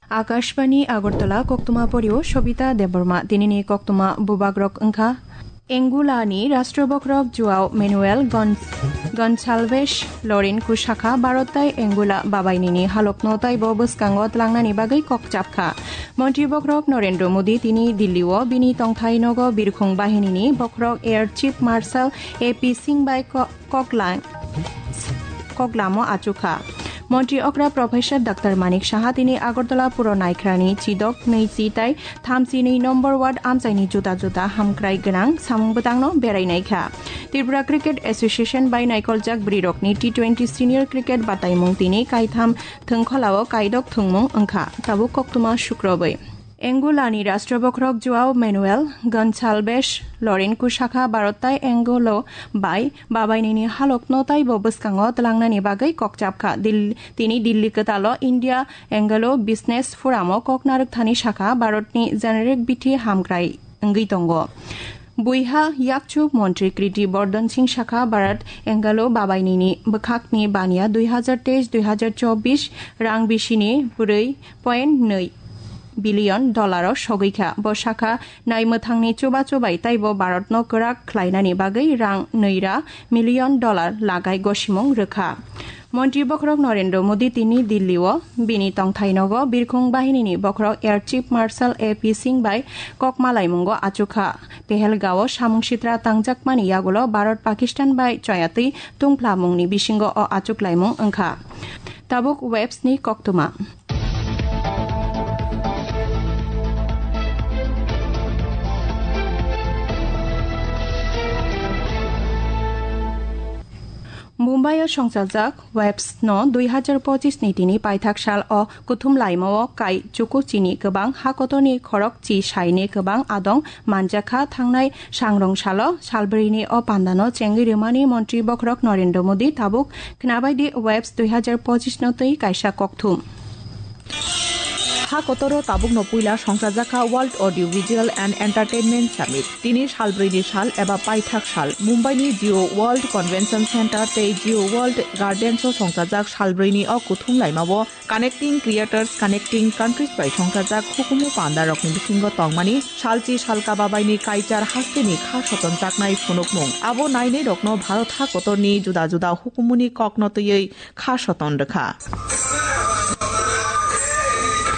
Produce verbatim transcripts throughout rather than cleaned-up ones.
Akashbani Agartala, koktwma porio Sobita Debbarma. Tinini koktwma bubagrok wngkha: Angola ni Rashtra Bokhorok Joao Manuel Gon-, Gonçalves Loren kusakha Bharat tai Angola babainini halokno taibo bwskango tlangnani bagwi kok chapkha. Montri Bokhorok Narendra Modi tini Delhi o bini tongthai nogo birkhung bahinini bokhorok Air Chief Marshal A P Singh bai ko-, kokla-, koklamo achukha. Montri okra Professor Doctor Manik Saha tini Agartala puro naikhrani chidok nwichi tai thamchi nwi number ward amchaini juda juda hamkrai gwnang samung bwtangno berai naikha. Tripura Cricket Association bai naikoljak bwrwirokni T twenty Senior Cricket bataimung tini kaitham thwngkholao kaidok thwngmung wngkha. Tabuk koktwma sukrobwi. Angola ni Rashtra Bokhorok Joao Manuel Gonçalves Loren kusakha Bharat tai Angola bai babainini halokno taibo bwskango tlangnani bagwi kok chapkha. Dil-, tini Delhi kwtalo India Anglo Business Forum o kok narwkthani sakha Bharat ni generic bithi hamkrai wngwi tongo. Buiha yakchu montri Kriti Bardhan Singh sakha Bharat Anglo babainini bwkhakni baniya dui hazar teis dui hazar chobbish rang bisini bwrwi point nwi billion dollar o sogwi kha. Bo sakha nai mwthangni chuba chubai taibo Bharat no kwrak khlainani bagwi rang nwi ra million dollar lagai gosimung rwkha. Montri Bokhorok Narendra Modi tini Delhi o bini tongthai nogo birkhung bahinini bokhorok Air Chief Marshal A P Singh bai kok malaimungo achukha. Pehelgao samung sitra tangjakmani yagulo Bharat Pakistan bai choyatwi tungphlamungni bisingo o achuklaimung wngkha. Tabuk webs ni koktwma. Mumbai o songchajak webs no dui hazar pochis ni tini paithak sal o kuthum laima o kai chuku chini kwbang ha kotor ni khorok chi sai ni kwbang adong manjakha. Thangnai sangrong salo salbri ni o panda no chengwi rwmani montri bokhorok Narendra Modi tabuk khnabai di webs dui hazar pochis no twi kaisa kokthum. Ha kotoro tabukno puila songchajakha World Audio Visual and Entertainment Summit. Tini salbrwini sal eba paithak sal Mumbaini Jio World Convention Center tei Jio World Gardens o songchajak salbrwini o kuthum laimao Connecting Creators, Connecting Countries bai songchajak hukumu pandarokni bisingo tongmani salchi salka babaini kaichar hasteni kha sotonjaknai phunukmung. Abo nainairokno Bharat ha kotorni juda juda hukumuni kokno twiwi kha soton rwkha.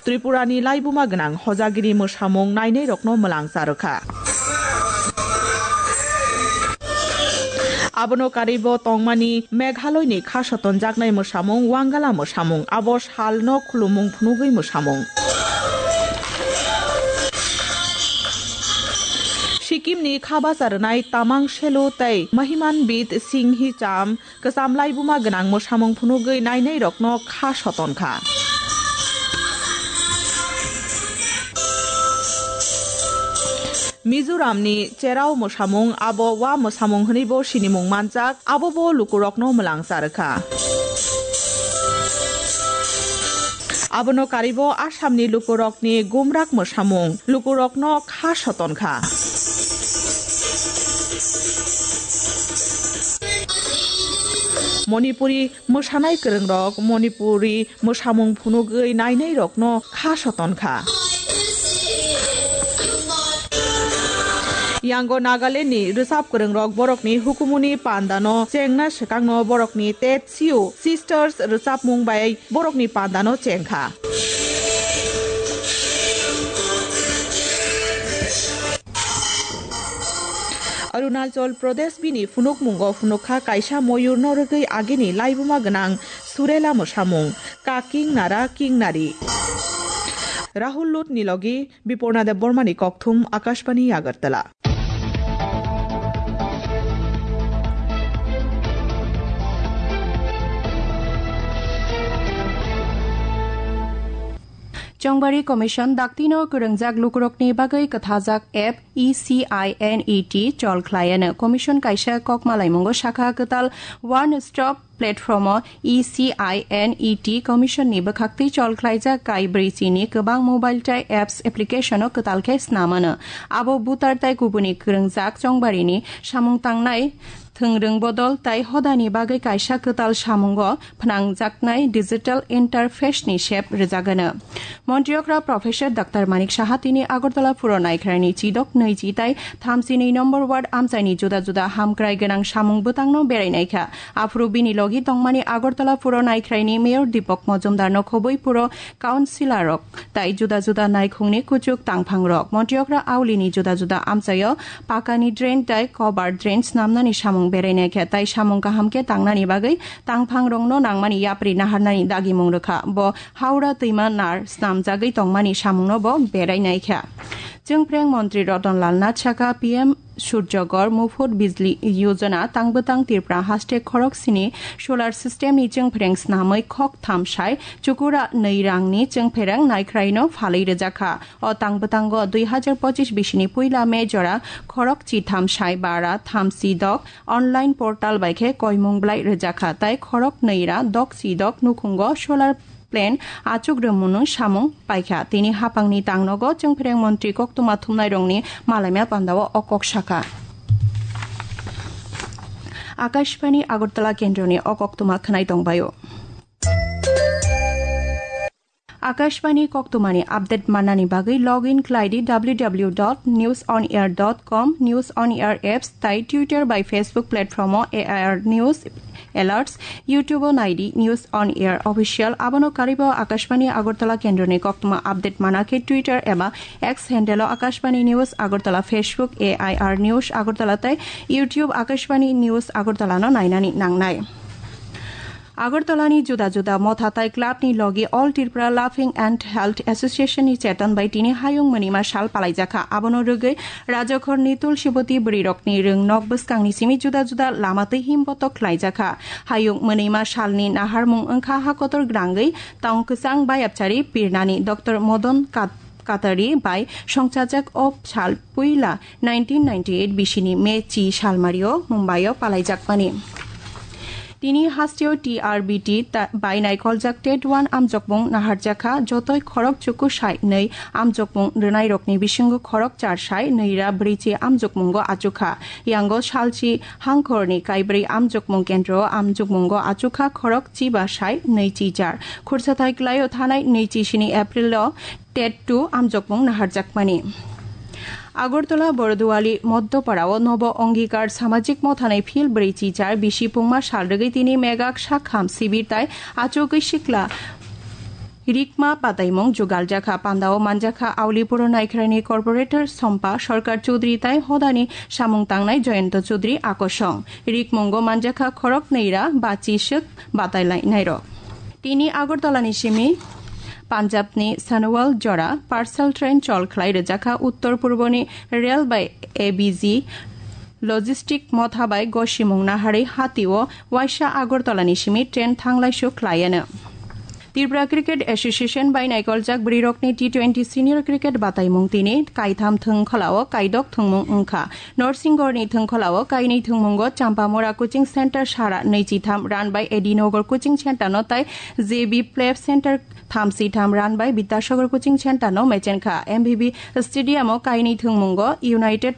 Tripurani laibuma gwnang hojagiri mwsamung nainairokno mwlangsa rwkha. Abono karwibo tongmani Meghaloini kha sotonjaknai mwsamung Wangala mwsamung, abo salno khulumung phunugwi mwsamung. Sikimni kha bacha rwnai Tamang Selu tei Mahimanbit Singhi Cham kwcham laibuma gwnang mwsamung phunugwi nainairokno kha soton kha. Mizoramni Cherao mwsamung, abo wa mwsamung hwnwibo sinimung manjak, abobo lukurokno mwlangsa rwkha. Abono karwibo Assamni lukurokni Gumrak mwsamung lukurokno kha soton kha. Manipuri mwsanai kwrwngrok Manipuri mwsamung phunugwi nainairokno kha soton kha. Yango Nagalandni rwchap kwrwngrok borokni hukumuni pandano chengna swkangno borokni Tet Sio Sisters rwchapmung bai borokni pandano chengkha. Arunachal Pradesh bini phunukmungo phunukha kaisa moyurno rwgwi agini laibuma gwnang Surela mwsamung, Ka King Nara King Nari. Rahul Lut ni logi Biporna Debbarmani kokthum, Akashbani Agartala. Chongbari Commission daktino kwrwngjak lukurokni bagwi kwthajak app E C I N E T chol khlaiano. Commission kaisa kok malaimungo sakha kwtal One Stop Platform o E C I N E T Commission ni bwkhaktwi chol khlaijak kai brwi chini kwbang mobile tai apps application o kwtal khe snamano. Abo voter tai kubuni kwrwngjak chongbarini samung tangnai Thwngrwng bodol tai hodani bagwi kaisa kwtal samungo phnangjaknai digital interface ni sep rwjagano. Montri okra Professor Doctor Manik Saha tini Agartala Puro Naikhraini chidok nwichi tai thamchi nwi number ward amchaini juda juda hamkrai gwnang samung bwtangno berai naikha. Aphuru bini logi tongmani Agartala Puro Naikhraini Mayor Deepak Majumdarno khobwi puro councillor rok tai juda juda naikhungni kuchuk tangphangrok. Montri okra Aulini juda juda amchaio pakani drain tai cover drain snamnani samung berai naikha tai samung kaham khe tangnani bagwi tangphangrokno nangmani yapri naharnani dagimung rwkha. Bo Howrah twima nar snamjagwi tongmani samungno bo berai naikha. Chwngphreng Montri Ratan Lal Nath sakha P M Surjagor Mufut Bijli Yojana tangbwtang Tripura haste khorok sini solar system ni chwngphreng snamwi khok tham sai chukura nwi rangni chwngphreng naikhraino phalwi rwjakha. O tangbwtango dui hazar pochis bisini puila May jora khorok chi tham sai bara tham si dok online portal bai khe koimung blai rwjakha tai khorok nwi ra dok si dok nukhungo solar plant achuk rwmung samung paikha. Tini hapangni tangnogo chwngphreng montri koktwma thumnairokni malaima pandao o kok sakha. Akashbani Agartala kendroni o koktwma khwnai tongbaio. Akashbani koktwmani update mannani bagwi log in khlai di w w w dot news on air dot com, News on Air apps tai Twitter bai Facebook platform o A I R News Alerts, YouTube o nai di News on Air Official. Abono karwibo Akashbani Agartala kendroni koktwma update mana khe Twitter eba X handle o Akashbani News Agartala, Facebook A I R News Agartala tai YouTube Akashbani News Agartala no nainani nangnai. Agartala ni juda juda motha tai club ni logi All Tripura Laughing and Health Association ni cheton bai tini hayung mwnima sal palaijakha. Abono rwgwi Rajakhor ni Tulsiboti bwrwi rok ni rwng nok bwskang ni simi juda juda lama twi him botok khlaijakha. Hayung mwnima sal ni naharmung wngkha hakotor grangwi tong kwchang bayapchari pirnani Doctor Modon Kat-, Katari bai songchajak o sal puila nineteen ninety-eight bisini May chi salmario Mumbai o palaijakmani. Tini hasteo T R B T ta-, bai naikoljak tet one amjokmung naharjakha, jotoi khorok chuku sai nwi amjokmung rwnairokni bisingo khorok char sai nwi ra bwrwi chi amjokmungo achukha. Yango salchi hangkhorni kaibrwi amjokmung kendro amjokmungo achukha khorok chi ba sai nwi chi char. Khursathai kwlaio thanai nwi chi sini April o tet two amjokmung naharjakmani. Agartala Borduali Moddoparao Nobo Ongikar Samajik Mothanai Phil bwrwi chi char bisi pungma sal rwgwi tini megak sakham sibir tai achugwi sikla rikma pataimung jugaljakha. Pandao manjakha Aulipuro Naikhraini Corporator Sompa Sarkar Chudri tai hodani samung tangnai Jayanta Chudri akosong. Rikmungo manjakha khorok nwi ra bachi swk batai lainairok. Tini Agartala ni simi Punjab ni Sanwal jora parcel train chol khlai rwjakha Uttor Purbo ni rail bai A B G logistic motha bai gosimung naharwi hatio waisa Agartala ni simi train thanglai su khlaiano. Tripura Cricket Association bai naikoljak bwrwirokni T twenty Senior Cricket bataimung tini kaitham thwngkholao kaidok thwngmung wngkha. Norsinggorni thwngkholao kainwi thwngmungo Champamura Coaching Center sara nwichitham run by Edinogar Coaching Center no tai J B Play Center thamsitham run by Bidyasagar Coaching Center no mechenkha. M B B Stadium o kainwi thwngmungo United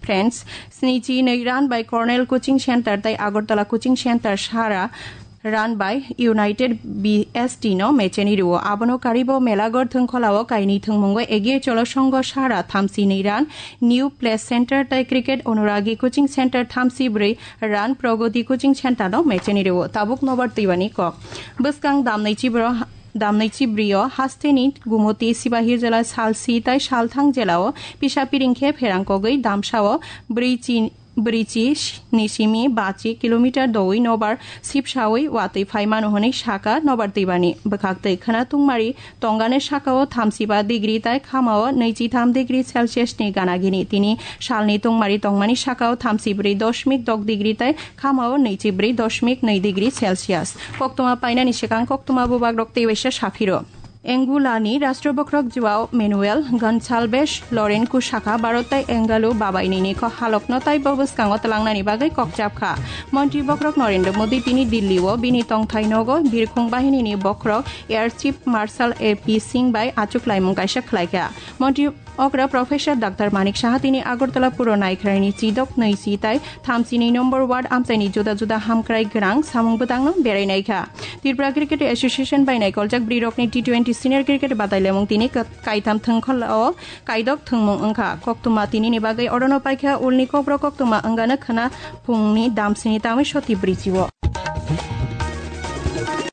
Friends snichi nwi run by Cornell Coaching Center tai Agartala Coaching Center sara run by United B S T no mecheni rwo. Abono karibo Melagor thwngkholao kainwi thwngmungo Egiye Cholo Songho sara thamsi nwi run, New Play Center tai Cricket Onuragi Coaching Center thamsi bwrwi run, Pragoti Coaching Center no mecheni rwo. Tabuk nobar twibani kok. Bwskang damnai chibro, damnai chibrio hasteni Gumoti Sibahir jela salsi tai salthang jelao pisa piring khe pherang kogwi damsao bwrwi chi bwrwi chi ni simi bachi kilometer doui nobar sipsaui watwi phaimano hwnwi saka nobar twibani. Bwkhaktwi khwna tungmari tongani sakao thamsiba degree tai khamao nwichitham degree Celsius ni ganagini. Tini salni tungmari tongmani sakao thamsibwrwi doshmik dok degree tai khamao nwichibwrwi doshmik nwi degree Celsius. Koktwma painani swkang koktwma bubagrok tei waisa saphiro. Angola ni Rashtra Bokhorok Joao Manuel Gonçalves Lourenço sakha, Bharat tai Angola babaini ni kok halok no tai bo bwskango twlangnani bagwi kok chapkha. Montri Bokhorok Narendra Modi tini Delhi o bini tongthai nogo birkhung bahini ni bokhorok Air Chief Marshal A P Singh bai achuk laimung kaisa khlaikha. Montri Okra Professor Doctor Manik Saha tini Agartala puro naikhraini chidok nwi si tai thamchini number ward amchaini juda juda hamkrai gwnang samung bwtangno berai naikha. Tripura Cricket Association bai naikoljak bwrwirokni T twenty Senior Cricket Badailamung tini ka-, kaitham thwngkholo kaidok thwngmung wngkha. Koktwma tinini bagwi orono paikha ulni kokborok koktwma wngano khwna phungni damsini tangwi soti bwrwi chio.